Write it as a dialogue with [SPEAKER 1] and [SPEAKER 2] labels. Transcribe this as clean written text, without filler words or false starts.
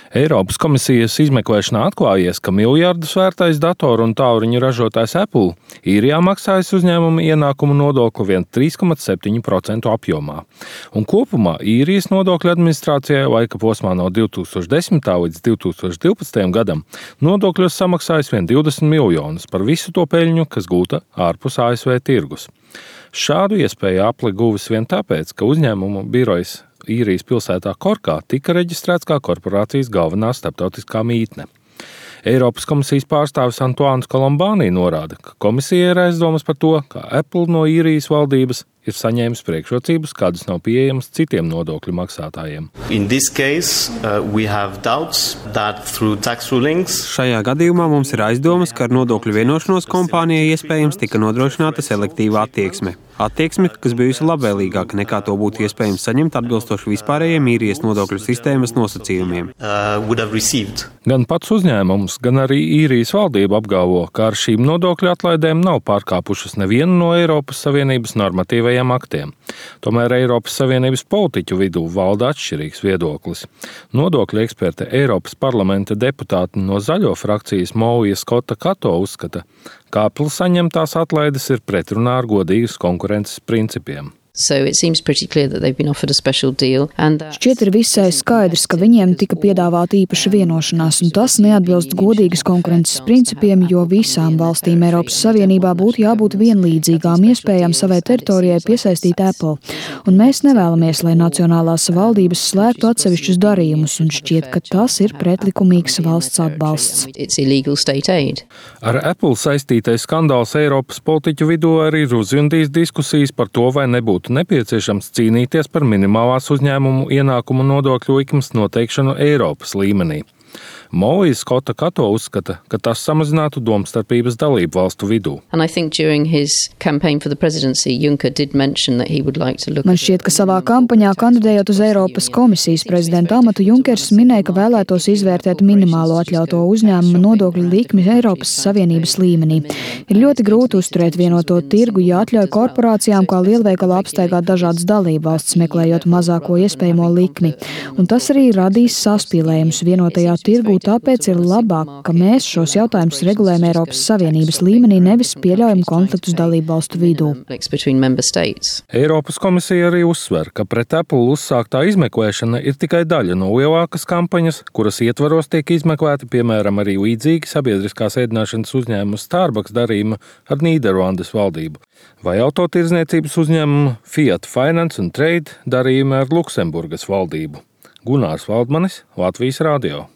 [SPEAKER 1] Eiropas komisijas izmeklēšanā atklājies, ka miljardus vērtais datoru un tālruņu ražotājs Apple īrijā maksājis uzņēmuma ienākumu nodokli vien 3,7% apjomā. Un kopumā īrijas nodokļu administrācijai laika posmā no 2010. līdz 2012. gadam nodokļos samaksājis vien 20 miljonus par visu to peļņu, kas gūta ārpus ASV tirgus. Šādu iespēju Apple guvis vien tāpēc, ka uzņēmumu birojas īrijas pilsētā Korkā tika reģistrēts kā korporācijas galvenā starptautiskā mītne. Eiropas komisijas pārstāvis Antoāns Kolombāni norāda, ka komisija ir aizdomas par to, ka Apple no īrijas valdības ir saņēmis priekšrocības, kādas nav pieejamas citiem nodokļu maksātājiem.
[SPEAKER 2] Šajā gadījumā mums ir aizdomas, ka ar nodokļu vienošanos kompānijai iespējams tika nodrošināta selektīva attieksme. Attieksme, kas bijusi labvēlīgāka nekā to būtu iespējams saņemt atbilstoši vispārējiem īrijas nodokļu sistēmas nosacījumiem.
[SPEAKER 1] Gan pats uzņēmums, gan arī īrijas valdība apgalvo, ka ar šīm nodokļu atlaidēm nav pārkāpušas nevienu no Eiropas Savienības normatīvajiem aktiem. Tomēr Eiropas Savienības politiķu vidū valda atšķirīgs viedoklis. Nodokļu eksperte Eiropas parlamenta deputāte no Zaļo frakcijas Moija Skota Kato uzskata, ka Apple saņemtās atlaides ir pretrunā ar godīgas konkurences principiem.
[SPEAKER 3] Šķiet ir visai skaidrs, ka viņiem tika piedāvāta īpaša vienošanās, un tas neatbilst godīgas konkurences principiem, jo visām valstīm Eiropas Savienībā būtu jābūt vienlīdzīgām iespējām savai teritorijai piesaistīt Apple. Un mēs nevēlamies, lai nacionālās valdības slēgtu atsevišķus darījumus, un šķiet, ka tas ir pretlikumīgs valsts atbalsts.
[SPEAKER 1] Ar Apple saistītais skandāls Eiropas politiķu vidū arī ir uzjundījis diskusijas par to, vai nebūtu nepieciešams cīnīties par minimālās uzņēmumu ienākumu nodokļu likmes noteikšanu Eiropas līmenī. Moija Skota Kato uzskata, ka tas samazinātu domstarpības dalību valstu vidū.
[SPEAKER 3] Man šķiet, ka savā kampaņā kandidējot uz Eiropas komisijas prezidenta amatu Junkers minēja, ka vēlētos izvērtēt minimālo atļauto uzņēmumu nodokļu likmi Eiropas Savienības līmenī. Ir ļoti grūti uzturēt vienoto tirgu, ja atļauj korporācijām kā lielveikala apstaigāt dažādas dalību valstis, meklējot mazāko iespējamo likmi. Un tas arī radīs saspīlējumus vienotajā tirgū. Tāpēc ir labāk, ka mēs šos jautājumus regulējam Eiropas Savienības līmenī, nevis pieļaujam konfliktus dalību valstu vidū.
[SPEAKER 1] Eiropas komisija arī uzsver, ka pret Apple uzsāktā izmeklēšana ir tikai daļa no lielākas kampaņas, kuras ietvaros tiek izmeklēti, piemēram, arī līdzīgi sabiedriskās ēdināšanas uzņēmuma Starbucks darījuma ar Nīderlandes valdību, vai autotirdzniecības uzņēmumu Fiat Finance and Trade darījumi ar Luksemburgas valdību. Gunārs Valdmanis, Latvijas radio.